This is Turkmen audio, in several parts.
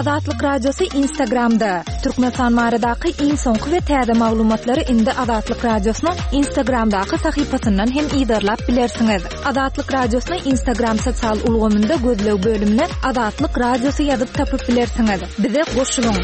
Azatlyk Radiosy Instagramda! Türkmenistan baradaky iň soňky we täze maglumatlary indi Azatlyk Radiosynyň Instagramdaky sahypasyndan hem yzarlap bilersiňiz. Azatlyk Radiosyny Instagram sosial ulgamynda gözleg bölümine Azatlyk Radiosy ýazyp tapyp bilersiňiz. Bize goşulyň!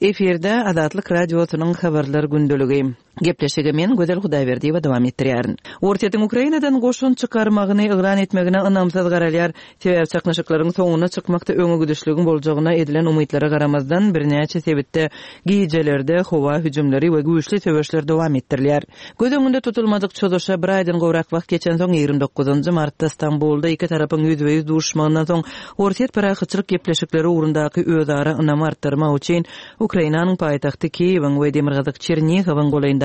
Efirde Azatlyk Radiosynyň Habarlar gündeligi. Gepleşigi men, Gözel Hudaýberdiýewa dowam etdirýärin. Orsýetiň Ukrainadan goşun çykarmagyny yglan etmegine ynamsyz garalýar. Sebäbi çaknyşyklaryň soňuna çykmakda öňe gidişligiň boljagyna edilen umytlara garamazdan, birnäçe sebitde gijelerde howa hüjümleri we güýçli söweşler dowam etdirilýär. Göz öňünde tutulmadyk çozuşa bir aýdan gowrak wagt geçensoň, 29 martda Stambulda iki tarapyň ýüzbe-ýüz duşuşmagyndan soň, Orsýet parahatçylyk gepleşikleri ugrundaky özara ynamy artdyrmak üçin Ukrainanyň paýtagty Kiýewiň we demirgazyk Çernihowyň golaýyndaky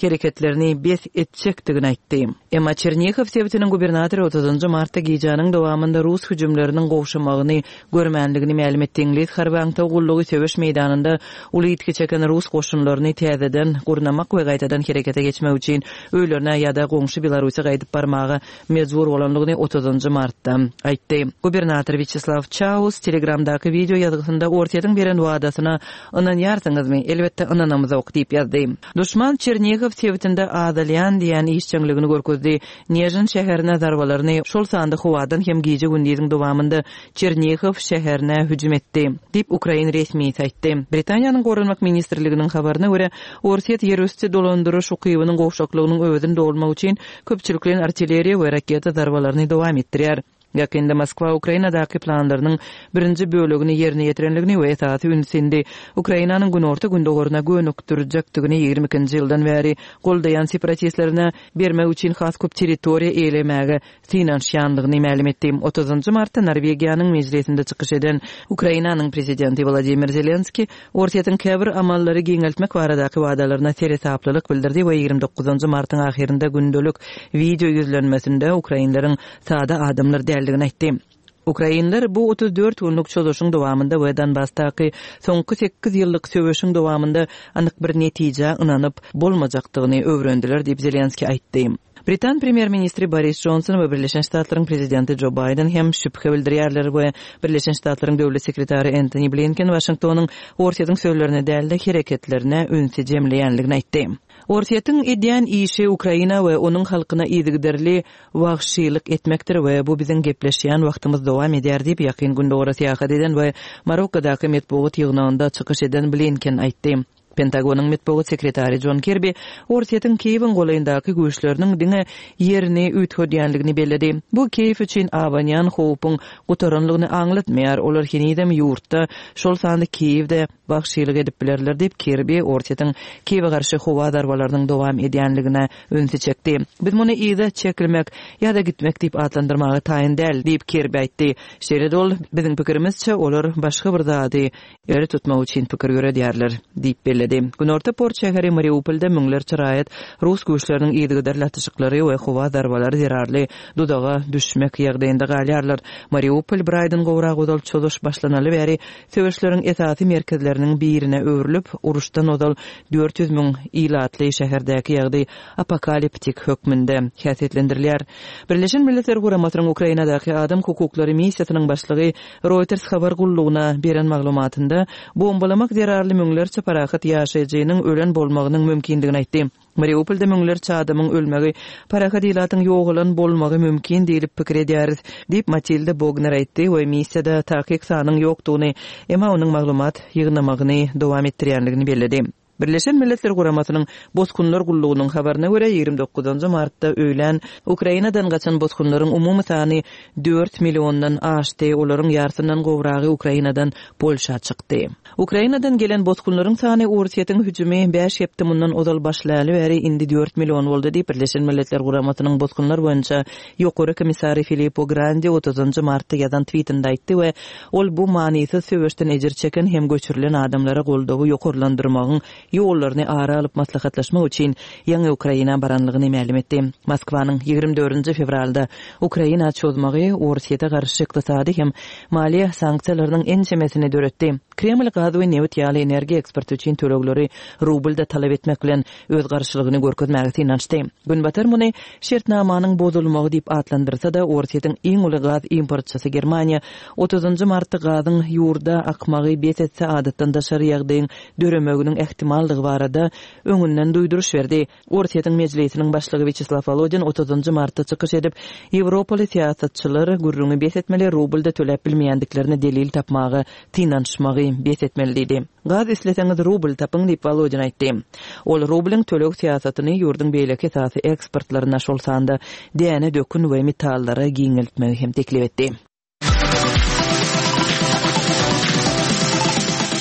hereketlerini bes etjekdigini aýtdy. Emma Çernihow sebitiniň gubernatory otuzynjy martda gijäniň dowamynda rus hüjümleriniň gowşamagyny görmändigini mälim etdi. Iňlis harby aňtaw gullugy söweş meýdanynda uly ýitgi çeken rus goşunlaryny täzeden gurnamak we gaýtadan herekete geçmek üçin öýlerine ýa-da goňşy Belarusa gaýdyp barmaga mejbur bolandygyny otuzynjy martda aýtdy. Gubernator Wýaçeslaw Çaus Telegramdaky wideo ýazgysynda Orsýetiň beren wadasyna ynanýarsyňyzmy? Elbetde ynanamzok diýip ýazdy. Duşman Çernihow sebitinde azalýan diýen işjeňligini görkezdi. Nežin şäherine zarbalaryny, şol sanda howadan hem gije-gündiziň dowamynda Çernihow şäherine hüjüm etdi, diýip, ukrain resmisi aýtdy. Britaniýanyň Goranmak ministrliginiň habaryna görä, Orsýet ýerüsti dolandyryş ukybynyň gowşaklygynyň öwezini dolmak üçin köpçülikleýin artilleriýa we raketa zarbalaryny dowam etdirýär. Ýakynda Moskwa Ukrainadaky planlarynyň birinji bölegini ýerine ýetirendigini we esasy ünsi indi Ukrainanyň günorta-gündogaryna gönükdirjekdigini 22-nji ýyldan bäri goldaýan separatistlerine bermek üçin has köp territoriýa eýelemäge synanyşýandygyny mälim etdi. Otuzynjy martda Norwegiýanyň mejlisinde çykyş eden Ukrainanyň prezidenti Wladimir Zelenskiý Orsýetiň käbir amallary giňeltmek baradaky wadalaryna seresaplylyk bildirdi we 29 martyň ahyrynda gündelik wideo ýüzlenmesinde ukrainleriň sada adamlar däldigini aýtdy. Ukrainler bu 34 günlük çozuşyň dowamynda we Donbasdaky soňky sekiz ýyllyk söweşiň dowamynda anyk bir netijä ynanyp bolmajakdygyny öwrendiler diýip, Zelenskiý aýtdy. Britan premýer-ministri Boris Jonson we Birleşen Ştatlaryň prezidenti Jo Baýden hem şübhe bildirýärler we Birleşen Ştatlaryň döwlet sekretary Entoni Blinken Waşingtonyň Orsýetiň sözlerine däl-de, hereketlerine ünsi jemleýänligini aýtdy. Orsýetiň edýän işi Ukraina we onuň halkyna yzygiderli wagşylyk etmekdir we bu biziň gepleşýän wagtymyz dowam edýär diýip, Ýakyn Gündogara syýahat eden we Marokkadaky metbugat ýygnagynda çykyş eden Blinken aýtdy. Pentagonyň metbugat sekretary Jon Kirbi Orsýetiň Kiýewiň golaýyndaky güýçleriniň diňe ýerini üýtgedýänligini belledi. Bu Kiýew üçin abanýan howpuň gutaranlygyny aňlatmaýar, olar henizem ýurtda, şol sanda Kiýewde wagşylyk edip bilerler diýip, Kirbi Orsýetiň Kiýewe garşy howa zarbalarynyň dowam edýänligine ünsi çekdi. Biz muny yza çekilmek ýa-da gitmek diýip atlandyrmaga taýyn däl, diýip, Kirbi aýtdy. Şeýle-de ol, Biziň pikirimizçe, olar başga bir zady Ýeri tutmak üçin pikir ýöredýärler, diýip belledi. Günorta port şäheri Mariupolda müňlerçe raýat rus güýçleriniň yzygiderli atyşyklary we howa zarbalary zerarly duzaga düşmek ýagdaýynda galýarlar. Mariupol bir aýdan gowrak ozal çozuş başlanaly bäri söweşleriň esasy merkezleriniň birine öwrülip, uruşdan ozal 400 müň ilatly şäherdäki ýagdaý apokaliptik hökmünde häsiýetlendirilýär. Birleşen Milletler Guramasynyň Ukrainadaky adam hukuklary missiýasynyň başlygy Reuters habar gullugyna beren maglumatynda, bombalamak zerarly müňlerçe parahat ýaşaýjynyň ölen bolmagynyň mümkindigini aýtdy. Mariupolda müňlerçe adamyň ölmegi, parahat ilatyň ýogalan bolmagy mümkin diýlip pikir edýäris, diýip, Matilda Bogner aýtdy we missiýada takyk sanyň ýokdugyny, emma onuň maglumat ýygnamagyny dowam etdirýändigini belledi. Birleşen Milletler Guramasynyň Bosgunlar gullugynyň habaryna görä, 29 martda öýlän Ukrainadan gaçan bosgunlaryň umumy sany dört milliondan aşdy, olaryň ýarsyndan gowragy Ukrainadan Polşa çykdy. Ukrainadan gelen bosgunlaryň sany Orsýetiň hüjümi bäş hepde mundan ozal başlaly bäri indi dört million boldy diýip, Birleşen Milletler Guramasynyň Bosgunlar boýunça Ýokary komissary Filippo Grandi otuzynjy martda ýazan twitinde aýtdy we Ol bu manysyz söweşden ejir çeken hem göçürilen adamlara goldawy ýokarlandyrmagyň ýollaryny ara alyp maslahatlaşmak üçin ýaňy Ukraina baranlygyny mälim etdi. Moskwanyň 24 nji fewralda Ukraina çozmagy Orsýete garşy ykdysady hem maliýe sanksiýalarynyň ençemesini döretdi. Kreml gaz we nebit ýaly energiýa eksporty üçin tölegleri rublda talap etmek bilen, öz garşylygyny görkezmäge synanyşdy. Günbatar muny şertnamanyň bozulmagy diýip atlandyrsa-da, Orsýetiň iň uly gaz importçysy Germaniýa otuzynjy martda gazyň ýurda akmagy bes etse adatdan daşary ýagdaýyň döremeginiň ähtimaldygy barada öňünden duýduryş berdi. Orsýetiň Mejlisiniň başlygy Wýaçeslaw Wolodin otuzynjy martda çykyş edip, ýewropaly syýasatçylar gürrüňi bes etmeli, rublda töläp bilmeýändiklerine delil tapmaga synanyşmagy bes etmeli diýdi. Gaz isleseňiz rubl tapyň diýip, Wolodin aýtdy. Ol rublyň töleg syýasatyny ýurduň beýleki esasy eksportlaryna, şol sanda däne, dökün we metallara giňeltmegi hem teklip etdi.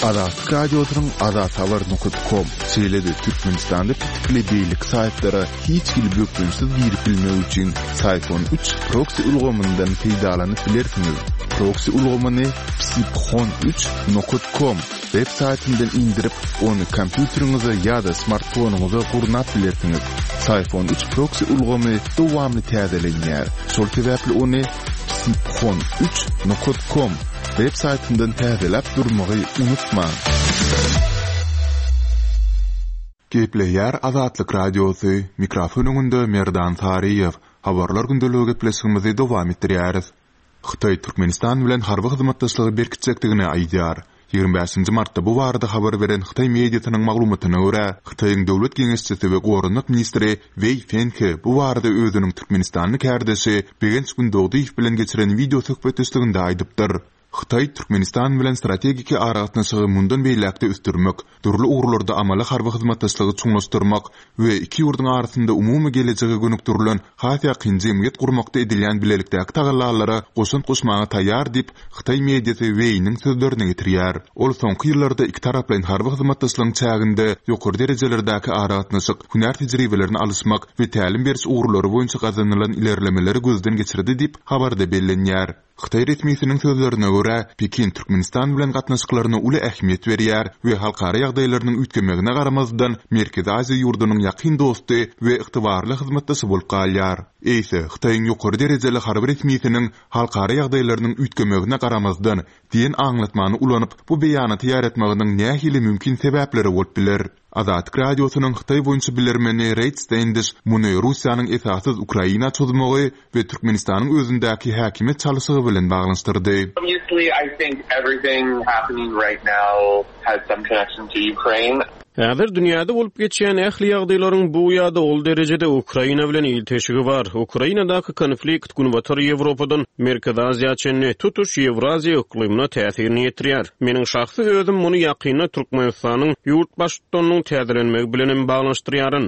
Azatlyk Radiosynyň azathabar nokat kom, şeýle-de Türkmenistanda petikli beýleki saýtlara hiç hili bökdençsiz girip bilmek üçin Syfon üç proksi ulgamyndan peýdalanyp bilersiňiz. Proksi ulgamyny psiphon üç nokat kom web saýtyndan indirip, ony kompýuteriňize ýa-da smartfonyňyza gurnap bilersiňiz. Syfon üç proksi ulgamy dowamly täzelenýär. Şol sebäpli ony psiphon üç nokat kom web saýtyndan täzeläp durmagy unutmaň. Gepleýär Azatlyk Radiosy, mikrofon öňünde Merdan Saryýew. Habarlar gündeligi gepleşigimizi dowam etdirýäris. Hytaý Türkmenistan bilen harby hyzmatdaşlygy berkitjekdigini aýdýar. 25-nji martda bu barada habar beren hytaý mediasynyň maglumatyna görä, Hytaýyň döwlet geňeşçisi we goranmak ministri Weý Fenhe bu barada özüniň türkmenistanly kärdeşi Begenç Gündogdyýew bilen geçiren wideo söhbetdeşliginde aýdypdyr. Hytaý Türkmenistan bilen strategiki aragatnaşygy mundan beýläk-de ösdürmek, dürli ugurlarda amaly harby hyzmatdaşlygy çuňlaşdyrmak we iki ýurduň arasynda umumy gelejege gönükdirilen has ýakyn jemgyýet gurmakda edilýän bilelikdäki tagallalara goşant goşmaga taýýar diýip, hytaý mediasy Weýniň sözlerini getirýär. Ol soňky ýyllarda ikitaraplaýyn harby hyzmatdaşlygyň çäginde ýokary derejelerdäki aragatnaşyk, hünär tejribelerini alyşmak we tälim beriş ugurlary boýunça gazanylan ilerlemeleri gözden geçirdi diýip, habarda bellenýär. Hytaý resmisiniň sözlerine görä, Pekin Türkmenistan bilen gatnaşyklaryna uly ähmiýet berýär we halkara ýagdaýlarynyň üýtgemegine garamazdan, Merkezi Aziýa ýurdunyň ýakyn dosty we ygtybarly hyzmatdaşy bolup galýar. Eýse, Hytaýyň ýokary derejeli harby resmisiniň halkara ýagdaýlarynyň üýtgemegine garamazdan diýen aňlatmany ulanyp, bu beýanaty ýaýratmagynyň nähili mümkin sebäpleri bolup biler? Azatlyk Radiosynyň Hytaý boýunça bilermeni Reýd Stendiş muny Russiýanyň esassyz Ukraina çozmagy we Türkmenistanyň özündäki häkimiýet çalyşygy bilen baglanyşdyrdy. Häzir dünýäde bolup geçýän ähli ýagdaýlaryň bu ýa-da ol derejede Ukraina bilen ilteşigi bar. Ukrainadaky konflikt Günbatar Ýewropadan Merkezi Aziýa çenli tutuş Ýewraziýa yklymyna täsirini ýetirýär. Meniň şahsy özüm muny ýakynda Türkmenistanyň ýurt Baştutanynyň täzelenmegi bilen hem baglanyşdyrýaryn.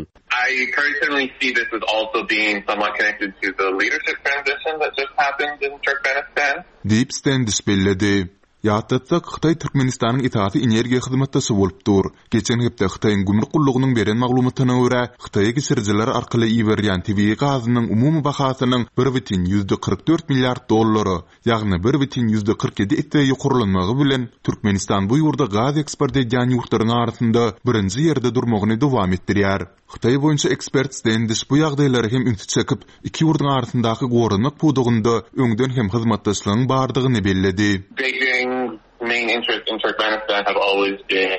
I personally see this as also being somewhat connected to the leadership transition that just happened in Turkmenistan. Diýip, Stendiş belledi. Ýatlatsak, Hytaý Türkmenistanyň esasy energiýa hyzmatdaşy bolup dur. Geçen hepde Hytaýyň gümrük gullugynyň beren maglumatyna görä, Hytaýa geçirijiler arkaly iberilýän tebigy gazynyň umumy bahasynyň 1,44 milliard dollara, ýagny 1,47 esse ýokarlanmagy bilen, Türkmenistan bu ýurda gaz eksport edýän ýurtlaryň arasynda birinji ýerde durmagyny dowam etdirýär. Hytaý boýunça ekspert Stendiş bu ýagdaýlara hem ünsi çekip, iki ýurduň arasyndaky goranmak pudagynda öňden hem hyzmatdaşlygyň bardygyny belledi. Beijing's main interest in Turkmenistan have always been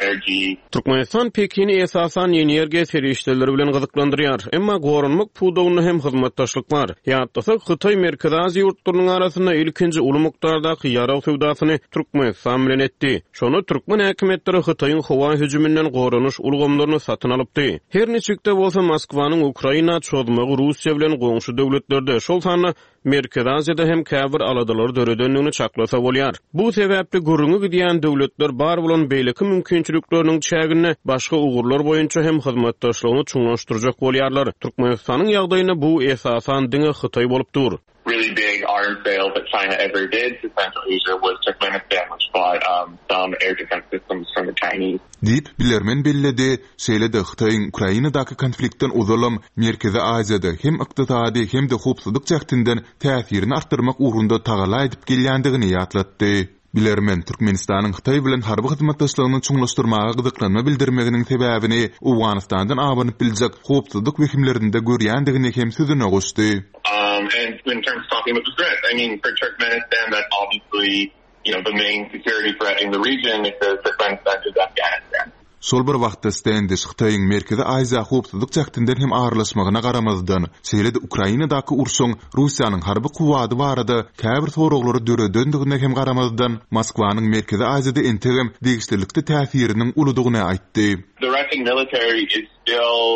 energy. Türkmenistan Pekini esasan energiýa serişdeleri bilen gyzyklandyrýar. Emma goranmak pudagynda hem hyzmatdaşlyk bar. Ýatlasak, Hytaý Merkezi Aziýa ýurtlarynyň arasynda ilkinji uly mukdardaky ýarag söwdasyny Türkmenistan bilen etdi. Şonda türkmen häkimiýetleri Hytaýyň howa hüjüminden goranyş ulgamlaryny satyn alypdy. Her niçik-de bolsa, Moskwanyň Ukraina çozmagy Russiýa bilen goňşy döwletlerde, şol sanda Merkezi Aziýada hem käbir aladalary döredendigini çaklasa bolýar. Bu sebäpli gürrüňi gidýän döwletler bar bolan beýleki mümkinçilikleriniň çäginde başga ugurlar boýunça hem hyzmatdaşlygyny çuňlaşdyrjak bolýarlar. Türkmenistanyň ýagdaýynda bu, esasan, diňe Hytaý bolup dur. Really big arms sale that China ever did to Central Asia was Turkmenistan which bought some air defense systems from the Chinese. Diýip, bilermen belledi. Şeýle-de Hytaýyň Ukrainadaky konfliktden ozalam Merkezi Aziýada hem ykdysady hem-de howpsuzlyk jähtinden täsirini artdyrmak ugrunda tagalla edip gelýändigini ýatlatdy. Bilermen Türkmenistanyň Hytaý bilen harby hyzmatdaşlygyny çuňlaşdyrmaga gyzyklanma bildirmeginiň sebäbini Owganystandan abanyp biljek howpsuzlyk wehimlerinde görýändigini hem sözüne goşdy. Şol bir wagtda Stendiş Hytaýyň Merkezi Aziýa howpsuzlyk jähtinden hem aralaşmagyna garamazdan, şeýle-de Ukrainadaky urşuň Russiýanyň harby kuwwady barada käbir soraglary döredendigine hem garamazdan, Moskwanyň Merkezi Aziýada entegem degişlilikde täsiriniň uludygyny aýtdy. The Russian military is still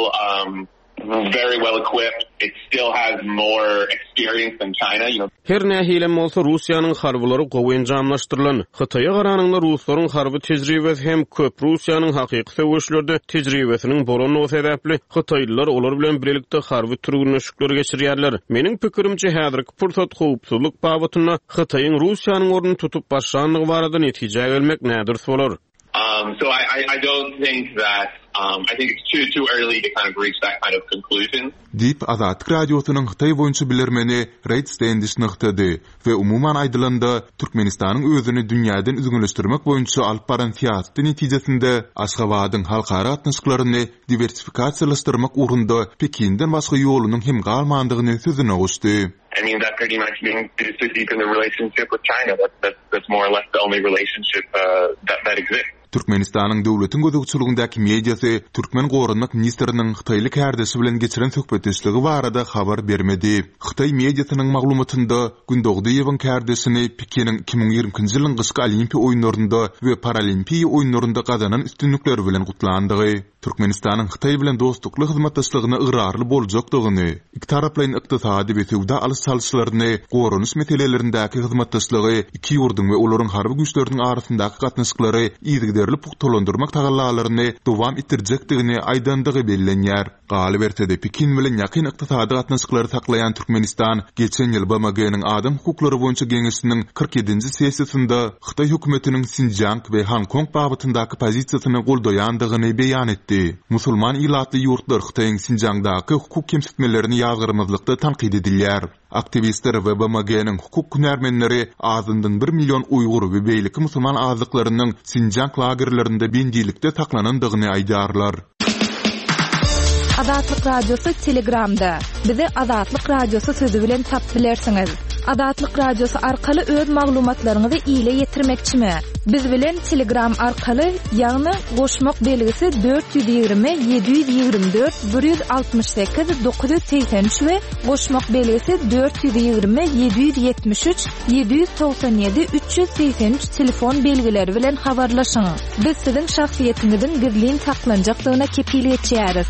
very well equipped, it still has more experience than China, you know. Her nähilem bolsa, Russiýanyň harbylary gowy enjamlaşdyrylan. Hytaýa garanyňda ruslaryň harby tejribesi hem köp. Russiýanyň hakyky söweşlerde tejribesiniň bolandygy sebäpli, hytaýlylar olar bilen bilelikde harby türgünleşikleri geçirýärler. Meniň pikirimçe, häzirki pursat howpsuzlyk babatynda Hytaýyň Russiýanyň ornuny tutup başlandygy barada netijä gelmek nädürs bolar. So I I don't think that I think it's too too early to kind of reach that kind of conclusion. Diýip, Azatlyk Radiosynyň Hytaý boýunça bilermeni Reýd Stendiş nygtady we umuman aýdylanda, Türkmenistanyň özüni dünýäden üzňeleşdirmek boýunça alyp baran syýasaty netijesinde Aşgabadyň halkara gatnaşyklaryny diwersifikasiýalaşdyrmak ugrunda Pekinden başga ýolunyň hem galmandygyny sözüne goşdy. I mean that pretty much means to deepen the relationship with China. That's that's more or less the only relationship that that exists. Türkmenistanyň döwletiň gözegçiligindäki mediasy türkmen goranmak ministriniň hytaýly kärdeşi bilen geçiren söhbetdeşligi barada habar bermedi. Hytaý mediasynyň maglumatynda Gündogdyýewiň kärdeşini Pekiniň 2022-nji ýylyň gyşky Olimpiýa oýunlarynda we Paralimpiýa oýunlarynda gazanan üstünlikleri bilen gutlandygy, Türkmenistanyň Hytaý bilen dostlukly hyzmatdaşlygyna ygrarly boljakdygyny, ikitaraplaýyn ykdysady we söwda alyş-çalyşlaryny, goranyş meselelerindäki hyzmatdaşlygy, iki ýurduň we olaryň harby güýçleriniň arasyndaky gatnaşyklary yzygiderli pugtalandyrmak tagallalaryny dowam etdirjekdigini aýdandygy bellenýär. Galyberse-de, Pekin bilen ýakyn ykdysady gatnaşyklary saklaýan Türkmenistan geçen ýyl BMG-niň Adam hukuklary boýunça geňeşiniň 47-nji sessiýasynda Hytaý hökümetiniň Sinjiang we Honkong babatyndaky pozisiýasyny goldaýandygyny beýan etdi. Musulman ilatly ýurtlar Hytaýyň Sinjiangdaky hukuk kemsitmelerini ýazgarmazlykda tankyt edilýär. Aktiwistler we BMG-niň hukuk hünärmenleri azyndan bir million uýgur we beýleki musulman azlyklarynyň Sinjiang lagerlerinde bendilikde saklanandygyny aýdýarlar. Azatlyk Radiosy Telegramda. Bizi Azatlyk Radiosy sözi bilen tapyp bilersiňiz. Azatlyk Radiosy arkaly öz maglumatlaryňyzy ile ýetirmekçimi? Biz bilen Telegram arkaly, ýagny goşmak belgisi 420 724 168 983 we goşmak belgisi 420 773 797 383 telefon belgileri bilen habarlaşyň. Biz siziň şahsyýetiňiziň gizlin saklanjakdygyna kepil geçýäris.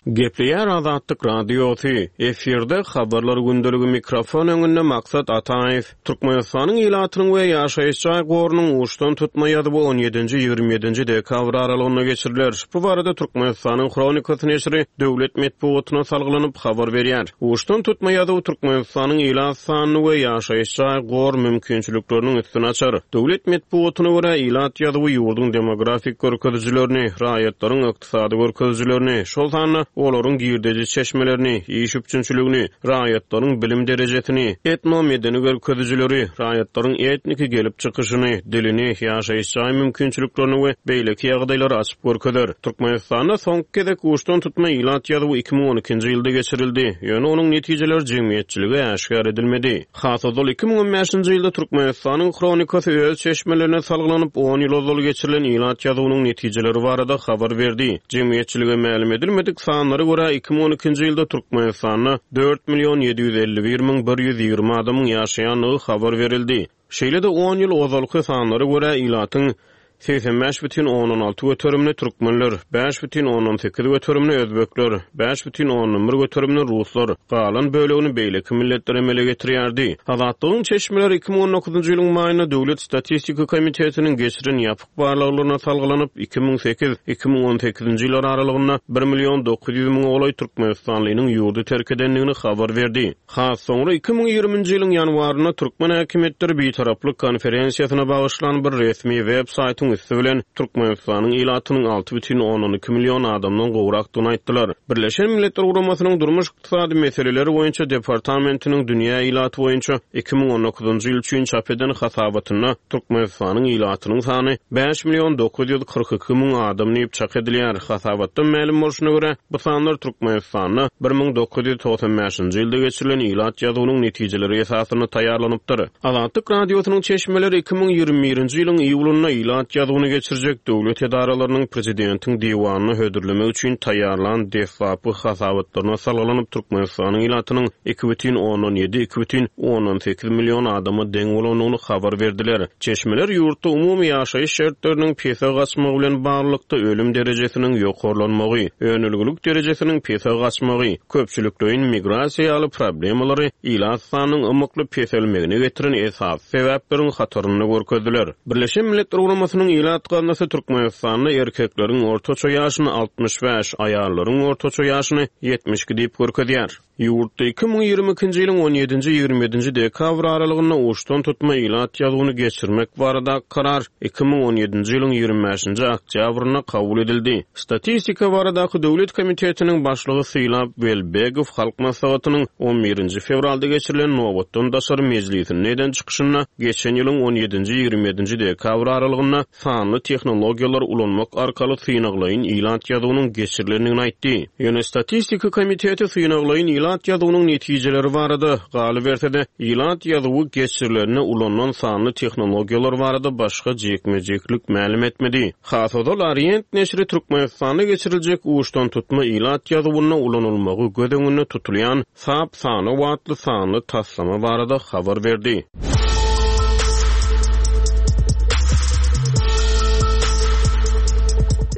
Gepleýär Azatlyk Radiosy, efirde Habarlar gündeligi mikrofon öňünde Maksat Ataýew. Türkmenistanyň ilatynyň we ýaşaýyş jaý gorunyň uçdan tutma ýazuwy on ýedinji, 27 nji dekabr aralygynda geçiriler. Bu barada Türkmenistanyň Hronikasy neşiri döwlet metbugatyna salgylanyp habar berýär. Uçdan tutma ýazuw Türkmenistanyň ilat sanyny we ýaşaýyş jaý gor mümkinçilikleriniň üstüni açar. Döwlet metbugatyna görä, ilat ýazuwy ýurduň demografik görkezijilerini, raýatlaryň ykdysady görkezijilerini, şol sanda olaryň girdeji çeşmelerini, iş üpjünçiligini, raýatlaryň bilim derejesini, etno-medeni görkezijileri, raýatlaryň etniki gelip çykyşyny, dilini, ýaşaýyş jaý mümkinçiliklerini we beýleki ýagdaýlary açyp görkezer. Türkmenistanda soňky gezek uçdan tutma ilat ýazuwy 2012-nji ýylda geçirildi, ýöne onuň netijeleri jemgyýetçilige äşgär edilmedi. Has ozal 2015-nji ýylda Türkmenistanyň Hronikasy öz çeşmelerine salgylanyp, on ýyl ozal geçirilen ilat ýazuwynyň netijeleri barada habar berdi. Jemgyýetçilige mälim edilmedik sanlara görä, 2012-nji ýylda Türkmenistanda dört million 751 120 adamyň ýaşaýandygy habar berildi. Şeýle-de, on ýyl ozalky sanlara görä, ilatyň 85,6 göterimini türkmenler, 5,8 göterimini özbekler, 5,1 göterimini ruslar, galan bölegini beýleki milletler emele getirýärdi. Azatlygyň çeşmeleri 2019-njy ýylyň maýynda Döwlet statistika komitetiniň geçiren ýapyk barlaglaryna salgylanyp, 2008, 2018-nji ýyllar aralygynda bir million 900 müňe golaý türkmenistanlynyň ýurdy terk edendigini habar berdi. Has soňra 2020-nji ýylyň ýanwarynda türkmen häkimiýetleri Bitaraplyk konferensiýasyna bagyşlan bir resmi web saýtyň. internetiň üsti bilen Türkmenistanyň ilatynyň 6,2 million adamdan gowrakdygyny aýtdylar. Birleşen Milletler Guramasynyň Durmuş-ykdysady meseleler boýunça departamentiniň dünýä ilaty boýunça 2019-njy ýyl üçin çap eden hasabatynda Türkmenistanyň ilatynyň sany 5 942 müň adam diýip çak edilýär. Hasabatdan mälim bolşuna görä, bu sanlar Türkmenistanda 1995-nji ýylda geçirilen ilat ýazuwynyň netijeleri esasynda taýýarlanypdyr. Azatlyk Radiosynyň çeşmeleri 2021-nji ýylyň iýulynda ilat ýazuwyny geçirjek döwlet edaralarynyň prezidentiň diwanyna hödürlemek üçin taýýarlan deslapky hasabatlaryna salgylanyp, Türkmenistanyň ilatynyň 2,7, 2,8 million adama deň bolandygyny habar berdiler. Çeşmeler ýurtda umumy ýaşaýyş şertleriniň pese gaçmagy bilen baglylykda ölüm derejesiniň ýokarlanmagy, önelgilik derejesiniň pese gaçmagy, köpçülikleýin migrasiýa ýaly problemalary ilat sanynyň ymykly peselmegine getiren esasy sebäpleriň hatarynda görkezdiler. Birleşen Milletler Guramasynyň Ilat gaznasy Türkmenistanda erkekleriň ortaça ýaşyny 65, aýallaryň ortaça ýaşyny 72 diýip görkezýär. Ýurtda 2022-nji ýylyň on ýedinji, 27-nji dekabr aralygynda uçdan-tutma ilat ýazuwyny geçirmek baradaky karar 2017-nji ýylyň 25-nji oktýabrynda kabul edildi. Statistika baradaky döwlet komitetiniň başlygy Sylap Welbegow Halk Maslahatynyň on birinji fewralda geçirilen nobatdan daşary mejlisinde eden çykyşynda geçen ýylyň on ýedinji, 27-nji dekabr aralygynda sanly tehnologiýalary ulanmak arkaly synaglaýyn ilat ýazuwynyň geçirilendigini aýtdy. Ýöne Statistika komiteti synaglaýyn ilat ýazuwynyň netijeleri barada, galyberse-de, ilat ýazuwy geçirilende ulanylan sanly tehnologiýalar barada başga jikme-jiklik mälim etmedi. Has ozal Orient neşiri Türkmenistanda geçiriljek uçdantutma ilat ýazuwynda ulanylmagy göz öňünde tutulýan Sap sanaw atly sanly taslama barada habar berdi.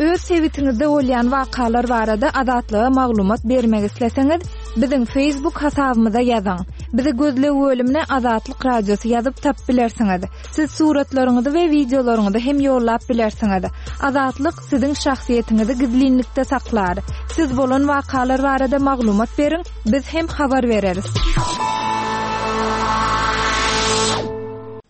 Öz sebitiňizde bolýan wakalar barada Azatlyga maglumat bermek isleseňiz, biziň Facebook hasabymyza ýazyň. Bizi gözleg bölümine Azatlyk Radiosy ýazyp tapyp bilersiňiz. Siz suratlaryňyzy we wideolaryňyzy hem ýollap bilersiňiz. Azatlyk siziň şahsyýetiňizi gizlinlikde saklar. Siz bolan wakalar barada maglumat beriň, biz hem habar bereris.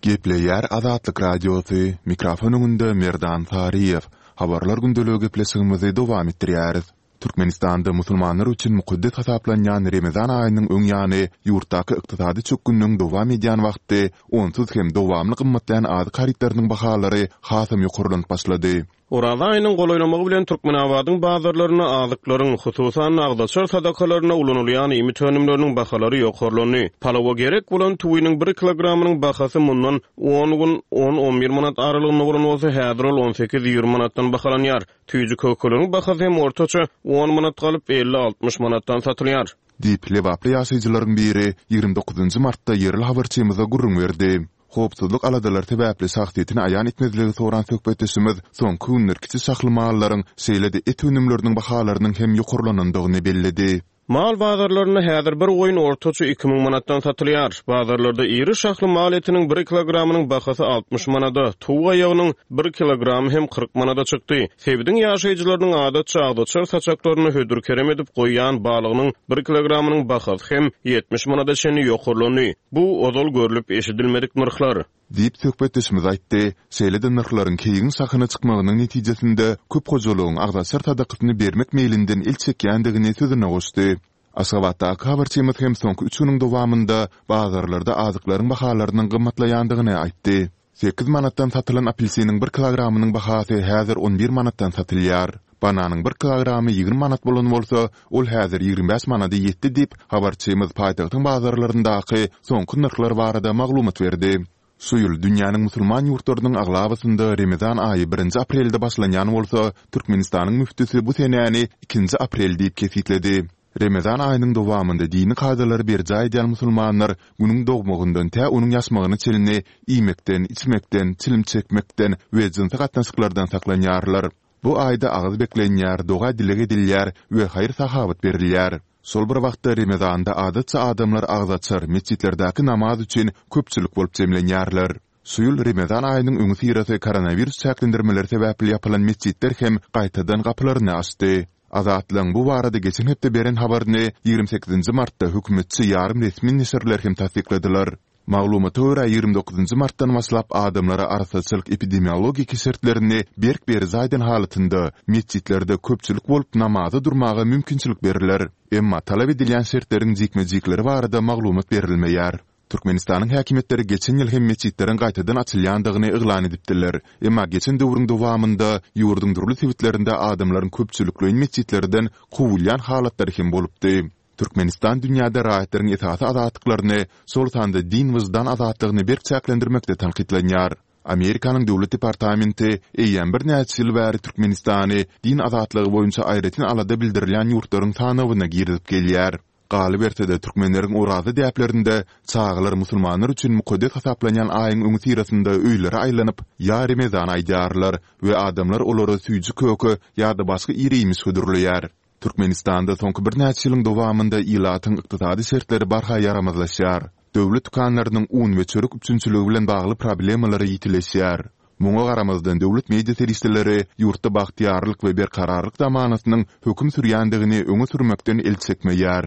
Gepleýär Azatlyk Radiosy, mikrofon öňünde Merdan Saryýew. Habarlar gündeligi gepleşigimizi dowam etdirýäris. Türkmenistanda musulmanlar üçin mukaddes hasaplanýan Remezan aýynyň öň ýany ýurtdaky ykdysady çökgünligiň dowam edýän wagty onsuz hem dowamly gymmatlaýan azyk harytlarynyň bahalary hasam ýokarlanyp başlady. Oraza aýynyň golaýlamagy bilen Türkmenabadyň bazarlarynda azyklaryň, hususan-da, agzaçar sadakalarynda ulanylýan iýmit önümleriniň bahalary ýokarlandy. Palawa gerek bolan tüwiniň bir kilogramynyň bahasy mundan on gün on-on bir manat aralygynda bolan bolsa, häzir ol on sekiz-ýigrimi manatdan bahalanýar. Süýji-kökeleriň bahasy hem ortaça on manat galyp, elli-altmyş manatdan satylýar. Diýip, lebaply ýaşaýjylaryň biri 29 dokuzynjy martda ýerli habarçymyza gürrüň berdi. Howpsuzlyk aladalary sebäpli şahsyýetini aýan etmezligi soran söhbetdeşimiz soňky günler kiçi şahly mallaryň, şeýle-de et önümleriniň bahalarynyň hem ýokarlanandygyny belledi. Mal bazarlarynda häzir bir goýun ortaça 2000 manatdan satylýar. Bazarlarda iri şahly mal etiniň bir kilogramynyň bahasy 60 manada, towuk aýagynyň bir kilogramy hem 40 manada çykdy. Sebitiň ýaşaýjylarynyň adatça agzaçar saçaklarynda hödür-kerem edip goýýan balygynyň bir kilogramynyň bahasy hem 70 manada çenli ýokarlandy. Bu ozal görlüp-eşidilmedik nyrhlar. Diýip, söhbetdeşimiz aýtdy. Şeýle-de nyrhlaryň keýigiň şahyna çykmagynyň netijesinde köp hojalygyň agzaçar sadakasyny bermek meýlinden el çekýändigini sözüne goşdy. Aşgabatdaky habarçymyz hem soňky üç günüň dowamynda bazarlarda azyklaryň bahalarynyň gymmatlaýandygyny aýtdy. Sekiz manatdan satylan apelsiniň bir kilogramynyň bahasy häzir on bir manatdan satylýar. Bananyň bir kilogramy 20 manat bolan bolsa, ol häzir 25 manada ýetdi diýip, habarçymyz paýtagtyň bazarlaryndaky soňky nyrhlar barada maglumat berdi. Şu ýyl dünýäniň musulman ýurtlarynyň aglabasynda Remezan aýy birinji aprelde başlanýan bolsa, Türkmenistanyň müftüsi bu senäni ikinji aprel diýip kesgitledi. Remezan aýynyň dowamynda dini kadalary berjaý edýän musulmanlar Günüň dogmagyndan tä onuň ýaşmagyna çenli iýmekden, içmekden, çilim çekmekden we jynsy gatnaşyklardan saklanýarlar. Bu aýda agyz beklenýär, doga-dileg edilýär we haýyr-sahawat berilýär. Şol bir wagtda Remezanda adatça adamlar agzaçar, metjitlerdäki namaz üçin köpçülik bolup jemlenýärler. Şu ýyl Remezan aýynyň öňüsyrasy koronawirus çäklendirmeleri sebäpli ýapylan metjitler hem gaýtadan gapylaryny açdy. Azatlygyň bu barada geçen hepde beren habaryny 28 nji martda hökümetçi ýarym resmi neşirler hem tassykladylar. Maglumata görä, 29 martdan başlap adamlara arassaçylyk-epidemiologik şertlerini berk berjaý eden halatynda metjitlerde köpçülik bolup namaza durmaga mümkinçilik berler. Emma talap edilýän şertleriň jikme-jikleri barada maglumat berilmeýär. Türkmenistanyň häkimiýetleri geçen ýyl hem metjitleriň gaýtadan açylýandygyny yglan edipdiler. Emma geçen döwrüň dowamynda ýurduň dürli sebitlerinde adamlaryň köpçülikleýin metjitlerden kowulýan halatlary hem bolupdy. Türkmenistan dünýäde raýatlaryň esasy azatlyklaryny, şol sanda din-wyždan azatlygyny berk çäklendirmekde tankytlanýar. Amerikanyň Döwlet departamenti eýýäm birnäçe ýyl bäri Türkmenistany din azatlygy boýunça aýratyn alada bildirilýän ýurtlaryň sanawyna girizip gelýär. Galyberse-de, türkmenleriň oraza däplerinde çagalar musulmanlar üçin mukaddes hasaplanýan aýyň öňüsyrasynda öýlere aýlanyp, Ýa Remezan aýdýarlar we adamlar olara süýji-köke ýa-da başga ir-iýmiş hödürleýär. Türkmenistanda soňky birnäçe ýylyň dowamynda ilatyň ykdysady şertleri barha ýaramazlaşýar. Döwlet dükanlarynyň un we çörek üpjünçiligi bilen bagly problemalary ýitileşýär. Muňa garamazdan, döwlet media serişdeleri ýurtda bagtyýarlyk we berkararlyk zamanasynyň höküm sürýändigini öňe sürmekden el çekmeýär.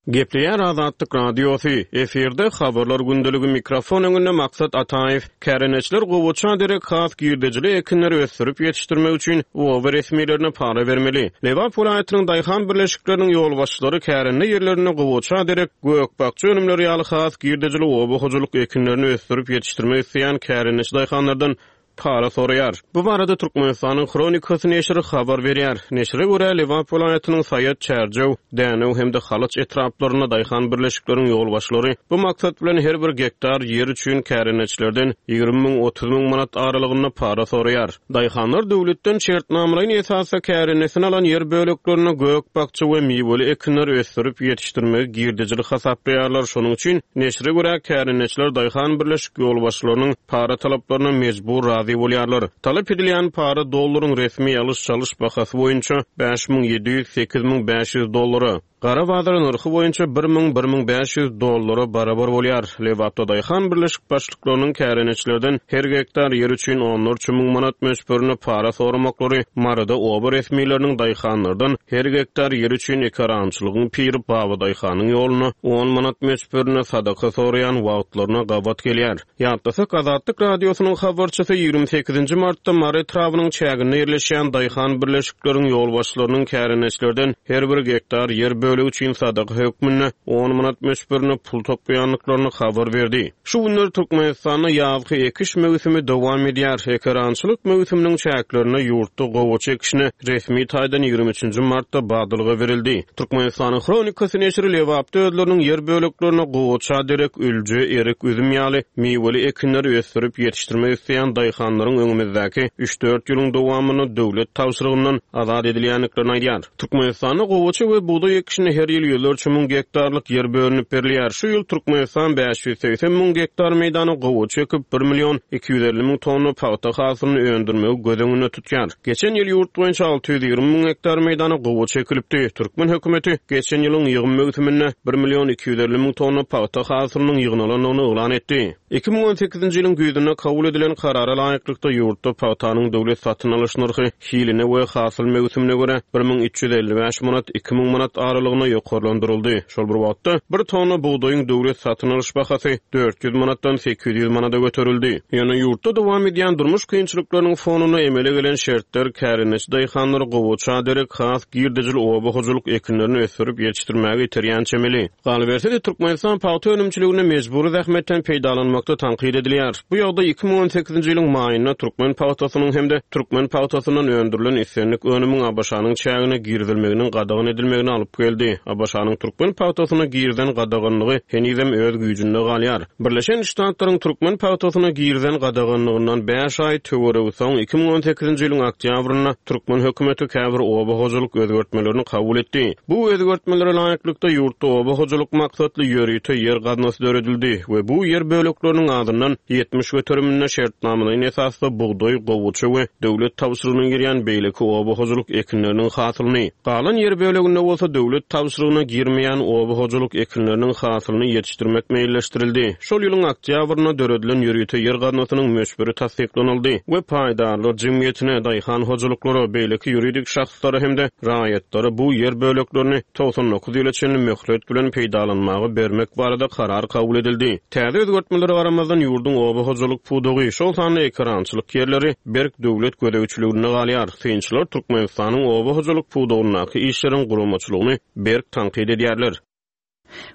Gepleýär Azatlyk Radiosy, efirde Habarlar gündeligi mikrofon öňünde Maksat Ataýew. Kärendeçiler gowaça derek has girdejili ekinleri ösdürip ýetişdirmek üçin oba resmilerine para bermeli. Lebap welaýatynyň daýhan birleşikleriniň ýolbaşçylary kärende ýerlerinde gowaça derek gök-bakja önümleri ýaly has girdejili oba hojalyk ekinlerini ösdürip ýetişdirmek isleýän kärendeçi daýhanlardan para soraýar. Bu barada Türkmenistanyň Hronikasy neşiri habar berýär. Neşire görä, Lebap welaýatynyň Saýat, Çärjew, Dänew hem-de Halaç etraplarynda daýhan birleşikleriň ýolbaşçylary bu maksat bilen her bir gektar ýer üçin kärendeçilerden 20 müň, 30 müň manat aralygynda para soraýar. Daýhanlar döwletden şertnamalaýyn esasda kärendesine alan ýer böleklerinde gök-bakja we miweli ekinleri ösdürip ýetişdirmegi girdejili hasaplaýarlar. Şonuň üçin, neşire görä, kärendeçiler daýhan birleşik ýolbaşçylarynyň para talaplaryna mejbur razy bolýarlar. Talap edilýän para dollaryň resmi alyş-çalyş bahasy boýunça 5700, 8500 dollara, gara bazar nyrhy boýunça 1000, 1500 dollara barabar bolýar. Lebapda daýhan birleşik başlyklarynyň kärendeçilerden her gektar ýer üçin onlarça müň manat möçberinde para soramaklary Maryda oba resmileriniň daýhanlardan her gektar ýer üçin ekerançylygyň piri Babadaýhanyň ýoluna on manat möçberinde sadaka soraýan wagtlaryna gabat gelýär. Ýatlasak, Azatlyk Radiosynyň habarçysy 28-nji martda Mary etrabynyň çäginde ýerleşýän daýhan birleşikleriň ýolbaşçylarynyň kärendeçilerden her bir gektar ýer bölegi üçin sadaka hökmünde on manat möçberinde pul toplaýandyklaryny habar berdi. Şu günler Türkmenistanda ýazky ekiş möwsümi dowam edýär. Ekerançylyk möwsüminiň çäklerinde ýurtda gowaça ekişine resmi taýdan 23-nji martda badalga berildi. Türkmenistanyň Hronikasy neşiri Lebapda özleriniň ýer böleklerinde gowaça derek ülje, erik, üzüm ýaly miweli ekinleri ösdürip ýetişdirmek isleýän daýhanlaryň öňümizdäki üç-dört ýylyň dowamynda döwlet tabşyrygyndan azat edilýändiklerini aýdýar. Türkmenistanda gowaça we bugdaý ekişine her ýyl ýüzlerçe müň gektarlyk ýer bölünip berilýär. Şu ýyl Türkmenistan 580 müň gektar meýdana gowaça ekip, bir million 250 müň tonna pagta hasylyny öndürmegi göz öňünde tutýar. Geçen ýyl ýurt boýunça 620 müň gektar meýdana gowaça ekilipdi. Türkmen hökümeti geçen ýylyň ýygym möwsüminde bir million 250 müň tonna pagta hasylynyň ýygnalandygyny yglan etdi. 2018-nji ýylyň güýzünde kabul edilen Karara laýyklykda, ýurtda pagtanyň döwlet satyn alyş nyrhy hiline we hasyl möwsümine görä, 1355 manat, 2000 manat aralygynda ýokarlandyryldy. Şol bir wagtda, bir tonna bugdaýyň döwlet satyn alyş bahasy 400 manatdan 800 manada göterildi. Ýöne ýurtda dowam edýän durmuş kynçylyklarynyň fonunda emele gelen şertler kärendeçi daýhanlary gowaça derek has girdejili oba hojalyk ekinlerini ösdürip ýetişdirmäge iterýän çemeli. Galyberse-de, Türkmenistan pagta önümçiliginde mejbury zähmetden peýdalanmakda tankyt edilýär. Bu ýagdaý 2018-nji ýylyň maýynda türkmen pagtasynyň hem-de türkmen pagtasyndan öndürilen islendik önümiň ABŞ-nyň çägine girizilmeginiň gadagan edilmegine alyp geldi. ABŞ-nyň türkmen pagtasyna girizen gadaganlygy henizem öz güýjünde galýar. Birleşen Ştatlaryň türkmen pagtasyna girizen gadaganlygyndan bäş aý töweregi soň, 2018-nji ýylyň oktýabrynda türkmen hökümeti käbir oba hojalyk özgertmelerini kabul etdi. Bu özgertmelere laýyklykda, ýurtda oba hojalyk maksatly ýörite ýer gaznasy döredildi we bu ýer bölekleriniň azyndan 70 göteriminde şertnamalaýyn esasda bugdaý, gowaça we döwlet tabşyrygyna girýän beýleki oba hojalyk ekinleriniň hasylyny, galan ýer böleginde bolsa döwlet. döwlet tabşyrygyna girmeýän oba hojalyk ekinleriniň hasylyny ýetişdirmek meýilleşdirildi. Şol ýylyň oktýabrynda döredilen ýörite ýer gaznasynyň möçberi tassyklanyldy we paýdarlar jemgyýetine, daýhan hojalyklara, beýleki ýuridik şahslara hem-de raýatlara bu ýer böleklerini 99 ýyla çenli möhlet bilen peýdalanmaga bermek barada karar kabul edildi. Täze özgertmelere garamazdan, ýurduň oba hojalyk pudagy, şol sanda ekerançylyk ýerleri berk döwlet gözegçiliginde galýar. Synçylar Türkmenistanyň oba hojalyk pudagyndaky işleriň guramaçylygyny berk tankyt edýärler.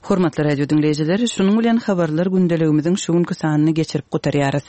Hormatly radio diňleýjiler, şunuň bilen Habarlar gündeligimiziň şu günki sanyny geçirip gutarýarys.